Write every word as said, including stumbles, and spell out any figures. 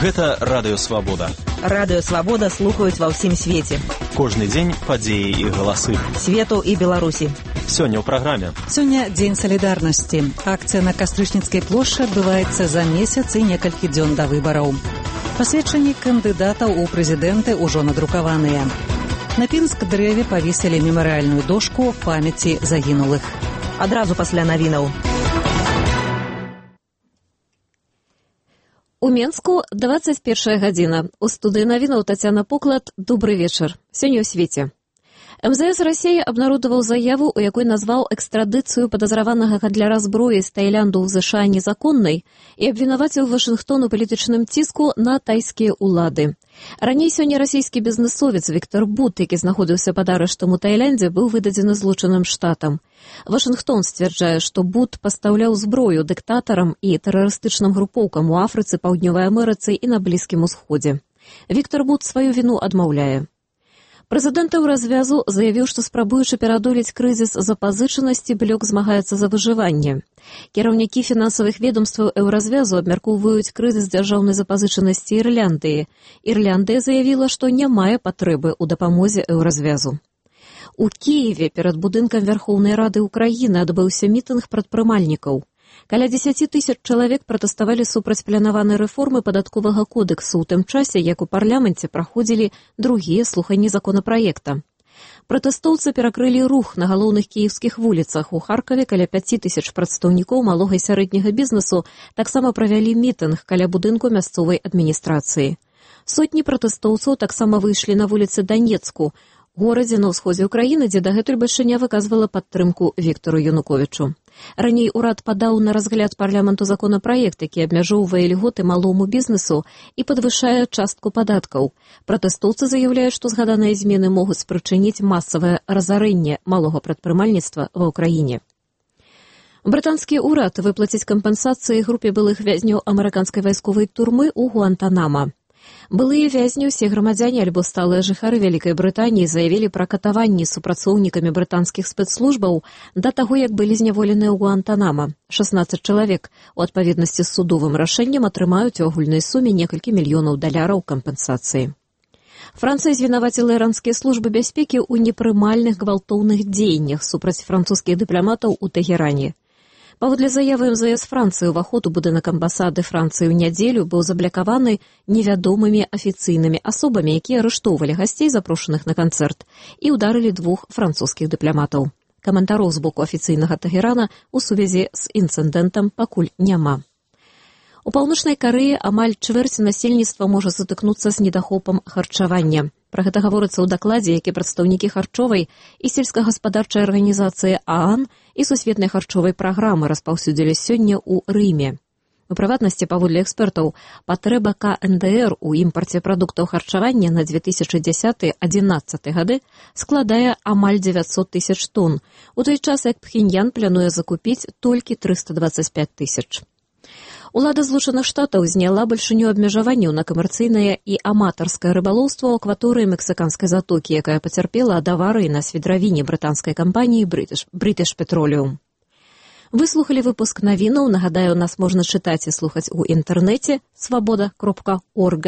Гэта Радыё Свабода. Радыё Свабода слухаюць ва ўсім свеце. Кожны дзень падзеі і галасы. Свету і Беларусі. Сёння ў праграме. Сёння дзень салідарнасці. Акцыя на Кастрычніцкай плошчы адбываецца за месяц і некалькі дзён да выбараў. Пасведчанні кандыдатаў у прэзідэнты ўжо надрукаваныя. На Пінск-дрэве павесілі мемарыяльную дошку памяці загінулых. Адразу пасля навінаў. У Менску двадцать первая гадзіна. У студыі навінаў Тацяна Поклад. Добрый вечар. Сёння ў свеце. эм зэ эс России абнародаваў заяву, у якой назваў экстрадыцыю падазраванага гандляра зброі з Таілянду ў ЗША незаконнай і абвінаваціў Вашынгтон у палітычным ціску на тайскія ўлады. Раней сёння расійскі бізнесовец Віктор Бут, які знаходзіўся пад арыштам у Таіландзе, быў выдадзены злучаным штатам. Вашынгтон сцвярджае, што Бут пастаўляў зброю дыктатарам і тэрарыстычным групоўкам у Афрыцы, Паўднёвай Амерыцы і на Блізкім Усходзе. Віктор Бут сваю віну адмаўляе. Прэзідэнт Еўразвязу заявіў, што спрабуючы пераадолець крызіс запазычанасці, блок змагаецца за выжыванне. Кіраўнікі фінансавых ведомстваў Еўразвязу абмяркоўваюць крызіс дзяржаўнай запазычанасці Ірляндыі. Ірляндыя заявіла, што не мае патрэбы ў дапамозе Еўразвязу. У Кіеве перад будынкам Вярхоўнай Рады Ўкраіны адбыўся мітынг прадпрымальнікаў. Каля дзесяці тысяч чалавек пратэставалі супраць планаванай рэформы падатковага кодэксу ў тым часе, як у парламенце праходзілі другія слуханні законапраекта. Пратэстоўцы перакрылі рух на галоўных кіеўскіх вуліцах. У Харкаве каля пяці тысяч прадстаўнікоў малога і сярэдняга бізнесу таксама правялі мітынг каля будынку мясцовай адміністрацыі. Сотні пратэстоўцаў таксама выйшлі на вуліцы Данецку, горадзе на ўсходзе ўкраіны, дзе дагэтуль бальшыня выказвала падтрымку Віктору Януковічу. Раней урад падаў на разгляд парламенту законапраект, які абмяжоўвае льготы малому бізнесу і падвышае частку падаткаў. Пратэстоўцы заяўляюць, што згаданыя змены могуць спрычыніць масавае разарэнне малога прадпрымальніцтва ва ўкраіне. Брытанскі ўрад выплаціць кампенсацыі групе былых вязняў амерыканскай вайсковай турмы ў Гуантанама. Былыя вязні, усе грамадзяне альбо сталыя жыхары Вялікай Брытаніі заявілі пра катаванні супрацоўнікамі брытанскіх спецслужбаў да таго, як былі зняволеныя ў Гуантанама. шаснаццаць чалавек у адпаведнасці з судовым рашэннем атрымаюць у агульнай суме некалькі мільёнаў даляраў кампенсацыі. Францыя звінаваціла іранскія службы бяспекі ў непрымальных гвалтоўных дзеяннях супраць французскіх дыпламатаў у Тэгеране. Паводле заявы эм зэ эс Францыі, уваход у будынак амбасады Францыі ў нядзелю быў заблакаваны невядомымі афіцыйнымі асобамі, якія арыштоўвалі гасцей, запрошаных на канцэрт, і ўдарылі двух французскіх дыпламатаў. Каментароў з боку афіцыйнага Тэгерана ў сувязі з інцыдэнтам пакуль няма. У Паўночнай Карэі амаль чвэрць насельніцтва можа сутыкнуцца з недахопам харчавання. Пра гэта гаворыцца ў дакладзе, які прадстаўнікі харчовай і сельскагаспадарчай арганізацыі ААН і сусветнай харчовай праграмы распаўсюдзілі сёння ў Рыме. У прыватнасці, паводле экспертаў, патрэба ка эн дэ эр у імпарце прадуктаў харчавання на две тысячы дзесяты — адзінаццаты гады складае амаль дзевяцьсот тысяч тонн, у той час як Пхеньян плануе закупіць толькі трыста дваццаць пяць тысяч. Улада Злучаных Штатаў зняла бальшыню абмежаванняў на камерцыйнае і аматарскае рыбалоўства ў акваторыі Мексіканскай затокі, якая пацярпела ад аварыі на свідравіне брытанскай кампаніі British Petroleum. Выслухалі выпуск навінаў. Нагадаю, нас можна чытаць і слухаць у інтэрнэце свабода кропка орг.